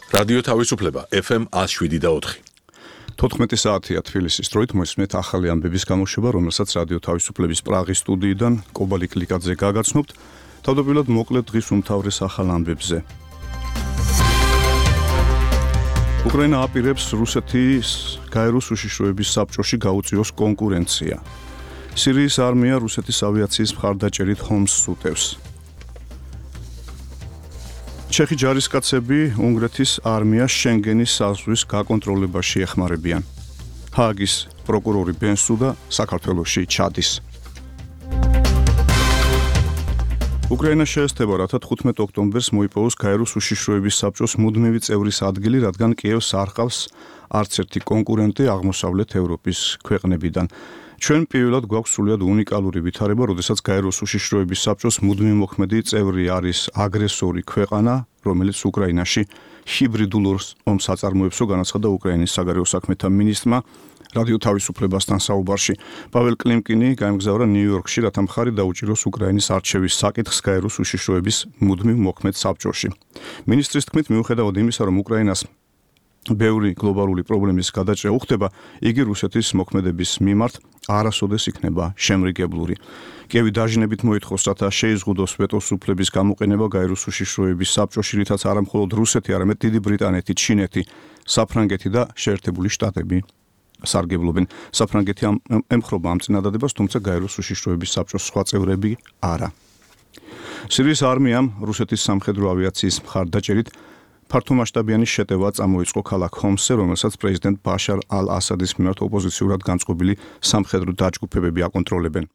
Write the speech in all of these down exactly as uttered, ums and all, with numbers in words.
რადიო თავისუფლება ეფ ემ one oh seven და four. თოთხმეტი საათია თბილისის დროით მოისმენთ ახალი ამბების გამოშვება, რომელსაც რადიო თავისუფლების პრაღის სტუდიიდან კობალი კლიკაძე გაგაცნობთ. თავდაპირველად მოკლედ დღის უმთავრეს ახალ ამბებზე. უკრაინა აპირებს რუსეთის გაეროს უშიშროების საბჭოში გაუწიოს კონკურენცია. სირიის არმია რუსეთის ავიაციის მხარდაჭერით ჰომსს უტევს. ჩეხი ჯარისკაცები უნგრეთის არმიას შენგენის საზღვრის გაკონტროლებაში ეხმარებიან. ჰააგის პროკურორი ბენსუდა საქართველოში ჩადის. უკრაინა შეესწება, რათა თხუთმეტ ოქტომბერს მოიპოვოს გაეროს უშიშროების საბჭოს მუდმივი წევრის ადგილი, რადგან კიევს არ ყავს არც ერთი კონკურენტი აღმოსავლეთ ევროპის ქვეყნებიდან. ჩვენ პირველად გვაქვს სრულიად უნიკალური ვითარება, როდესაც გაეროს უშიშროების საბჭოს მუდმივი მოქმედი წევრი არის აგრესორი ქვეყანა, რომელიც უკრაინაში ჰიბრიდულ ომს აწარმოებსო, განაცხადა უკრაინის საგარეო საქმეთა მინისტრმა რადიო თავისუფლებასთან საუბარში. პაվել კლიმკინი გაემგზავრა ნიუ-იორკში, რათა მხარი დაუჭიროს უკრაინის არჩევის საკითხს გაეროს უშიშროების მუდმივ მოქმედ საბჭოში. მინისტრის თქმით, მიუხედავად იმისა, რომ უკრაინას ბევრი გლობალური პრობლემის გადაჭრა უხდება, იგი რუსეთის მოქმედების მიმართ არასოდეს იქნება შემრიგებლური. კიევი დაჟინებით მოითხოვს, რათა შეიზღუდოს ვეტოს უფლების გამოყენება გაეროს უშიშროების საბჭოში, რითაც არა მხოლოდ რუსეთი, არამედ დიდი ბრიტანეთი, ჩინეთი, საფრანგეთი და შეერთებული შტატები სარგებლობენ. საფრანგეთი ემხრობა ამ წინადადებას, თუმცა გაეროს უშიშროების საბჭოს სხვა წევრები არა. სირიის არმიამ რუსეთის სამხედრო ავიაციის მხარდაჭერით ფართომასშტაბიანი შეტევა წამოიწყო ქალაქ ჰომსზე, რომელსაც პრეზიდენტ ბაშარ ალ-ასადის მიმართ ოპოზიციურად განწყობილი სამხედრო დაჯგუფებები აკონტროლებენ.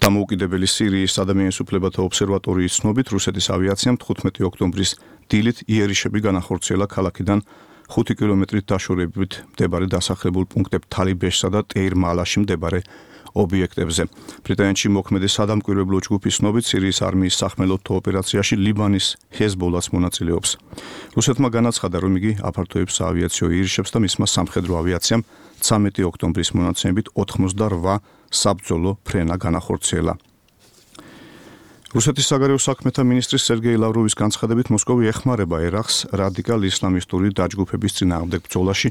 დამოუკიდებელი სირიის ადამიანის უფლებათა ობსერვატორიის ცნობით, რუსეთის ავიაციამ თხუთმეტი ოქტომბრის დილით იერიშები განახორციელა ქალაქიდან ხუთი კილომეტრით დაშორებით მდებარე დასახლებულ პუნქტებ თალიბეშსა და ტეირ-მალაში მდებარე ობიექტებზე. ბრიტანეთში მოქმედი სადამკვირვებლო ჯგუფის ცნობით, სირიის არმიის სახმელეთო ოპერაციაში ლიბანის ჰეზბოლას მონაწილეობს. რუსეთმა განაცხადა, რომ იგი აფართოებს საავიაციო იერიშებს და მისმა სამხედრო ავიაციამ ცამეტი ოქტომბრის მონაცემებით ოთხმოცდაოთხ საბრძოლო ფრენა განახორციელა. რუსეთის საგარეო საქმეთა მინისტრის სერგეი ლავროვის განცხადებით, მოსკოვი ეხმარება ერაყს რადიკალ ისლამისტური დაჯგუფების წინააღმდეგ ბრძოლაში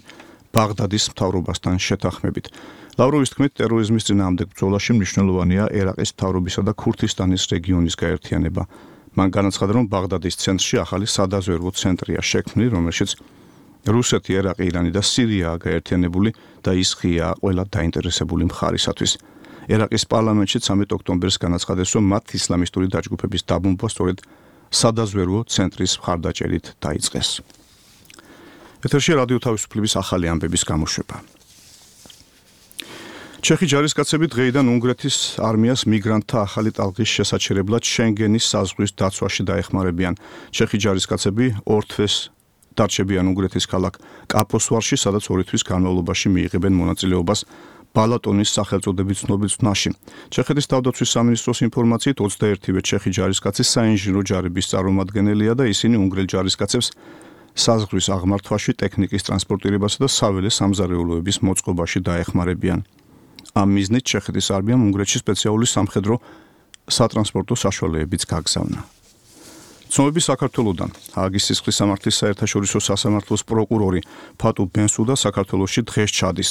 ბაღდადის მთავრობასთან შეთანხმებით. ლავროვის თქმით, ტერორიზმის წინააღმდეგ ბრძოლაში მნიშვნელოვანია ერაყის მთავრობისა და ქურთისტანის რეგიონის გაერთიანება. მან განაცხადა, რომ ბაღდადის ცენტრში ახალი სადაზვერვო ცენტრია შექმნილი, რომელშიც რუსეთი, ერაყი, ირანი და სირიაა გაერთიანებული და ის ღიაა ყველა დაინტერესებული მხარისათვის. ერაყის პარლამენტში ცამეტი ოქტომბერს განაცხადეს, რომ მათ ისლამისტური დაჯგუფების დაბომბვა სწორედ სადაზვერვო ცენტრის მხარდაჭერით დაიწყეს. ეთერში რადიო თავისუფლების ახალი ამბების გამოშვება. ჩეხი ჯარისკაცები დღეიდან უნგრეთის არმიას მიგრანტთა ახალი ტალღის შესაჩერებლად შენგენის საზღვრის დაცვაში დაეხმარებიან. ჩეხი ჯარისკაცები ორ თვეს დარჩებიან უნგრეთის ქალაქ კაპოსვარში, სადაც ორი თვის განმავლობაში მიიღებენ მონაწილეობას ბალატონის სახელწოდებით ცნობილ წვნაში. ჩეხეთის თავდაცვის სამინისტროს ინფორმაციით, ოცდაერთივე ჩეხი ჯარისკაცი საინჟინრო ჯარების წარმომადგენელია და ისინი უნგრელ ჯარისკაცებს საზღვრის აღმართვაში, ტექნიკის ტრანსპორტირებასა და საველე სამზარეულოების მოწყობაში დაეხმარებიან. ამ მიზნით ჩეხეთის არმიამ უნგრეთში სპეციალური სამხედრო სატრანსპორტო საშუალებებიც გაგზავნა. ცნობები საქართველოდან. ჰააგის სისხლის სამართლის საერთაშორისო სასამართლოს პროკურორი ფატუ ბენსუდა საქართველოში დღეს ჩადის.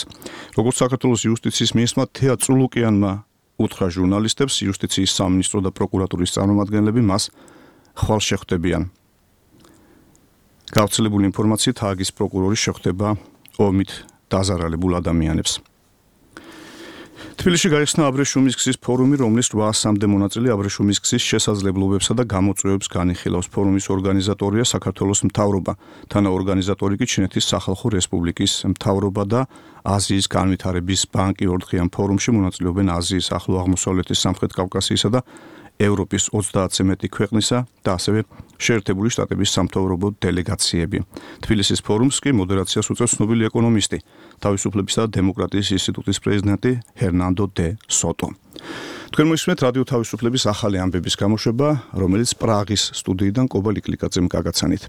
როგორც საქართველოს იუსტიციის მინისტრმა თეა წულუკიანმა უთხრა ჟურნალისტებს, იუსტიციის სამინისტრო და პროკურატურის წარმომადგენლები მას ხვალ შეხვდებიან. გავრცელებული ინფორმაციით, ჰააგის პროკურორი შეხვდება ომით დაზარალებულ ადამიანებს. თბილისში გაიხსნა აბრეშუმის გზის ფორუმი, რომლის რვაასამდე მონაწილე აბრეშუმის გზის შესაძლებლობებსა და გამოწვევებს განიხილავს. ფორუმის ორგანიზატორია საქართველოს მთავრობა, თანაორგანიზატორი კი ჩინეთის სახალხო რესპუბლიკის მთავრობა და აზიის განვითარების ბანკი. ორდღიან ფორუმში მონაწილეობენ აზიის, ახლო აღმოსავლეთის, სამხრეთ კავკასიისა და ევროპის ოცდაათზე მეტი ქვეყნისა და ასევე შეერთებული შტატების სამთავრობო დელეგაციები. თბილისის ფორუმს კი მოდერაციას უწევს ცნობილი ეკონომისტი, თავისუფლებისა და დემოკრატიის ინსტიტუტის პრეზიდენტი ჰერნანდო დე სოტო. თქვენ მოისმენთ რადიო თავისუფლების ახალი ამბების გამოშვება, რომელიც პრაღის სტუდიიდან კობალი კლიკაძემ გაგაცანით.